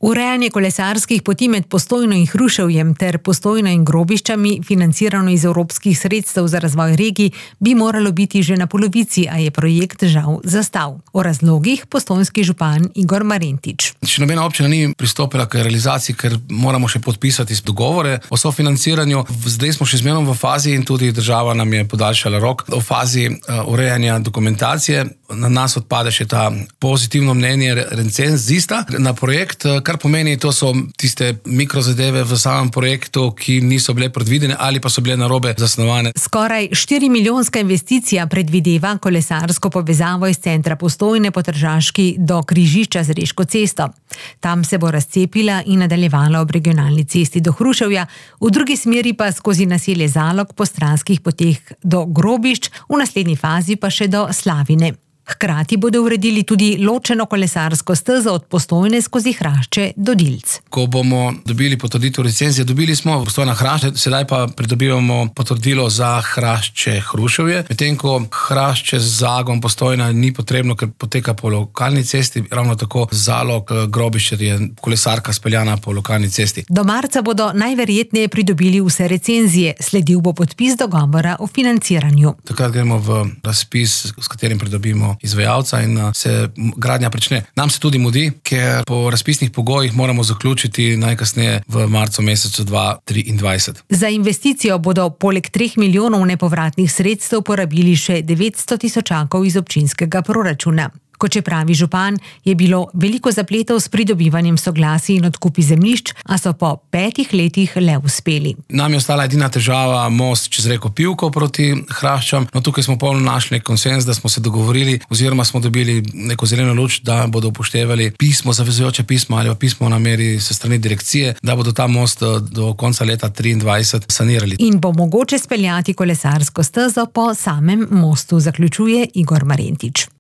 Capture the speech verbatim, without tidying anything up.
Urejanje kolesarskih poti med Postojno in Hruševjem ter Postojno in Grobiščami, financirano iz evropskih sredstev za razvoj regij, bi moralo biti že na polovici, a je projekt žal zastal. O razlogih postojnski župan Igor Marentič. Še nobena občina ni pristopila k realizaciji, ker moramo še podpisati dogovore o sofinanciranju. Zdaj smo še zmerno v fazi in tudi država nam je podaljšala rok o fazi urejanja dokumentacije. Na nas odpade še ta pozitivno mnenje recenzista na projekt, kar pomeni, to so tiste mikrozadeve v samem projektu, ki niso bile predvidene ali pa so bile narobe zasnovane. Skoraj štirimilijonska investicija predvideva kolesarsko povezavo iz centra Postojne po Tržaški do križišča z Reško cesto. Tam se bo razcepila in nadaljevala ob regionalni cesti do Hruševja, v drugi smeri pa skozi naselje Zalog po stranskih poteh do Grobišč, v naslednji fazi pa še do Slavine. Hkrati bodo uredili tudi ločeno kolesarsko stezo od Postojne skozi Hrašče do Dilc. Ko bomo dobili potrditev recenzije, dobili smo Postojna Hrašče, sedaj pa pridobivamo potrdilo za Hrašče Hruševje, medtem ko Hrašče z Zagom Postojna ni potrebno, ker poteka po lokalni cesti, ravno tako Zalog Grobišče je kolesarka speljana po lokalni cesti. Do marca bodo najverjetneje pridobili vse recenzije, sledil bo podpis dogovora o financiranju. Takrat gremo v razpis, s katerim pridobimo izvajalca in se gradnja prične. Nam se tudi mudi, ker po razpisnih pogojih moramo zaključiti najkasneje v marcu mesecu dva tisoč triindvajset. Za investicijo bodo poleg treh milijonov nepovratnih sredstev porabili še devetsto tisočakov iz občinskega proračuna. Kot še pravi župan, je bilo veliko zapletov s pridobivanjem soglasij in odkupi zemljišč, a so po petih letih le uspeli. Nam je ostala edina težava most čez reko Pivko proti Hraščam. No, tukaj smo polno našli konsens, da smo se dogovorili oziroma smo dobili neko zeleno luč, da bodo upoštevali pismo, zavezujoče pismo ali pa pismo o nameri se strani direkcije, da bodo ta most do konca leta triindvajset sanirali. In bo mogoče speljati kolesarsko stezo po samem mostu, zaključuje Igor Marentič.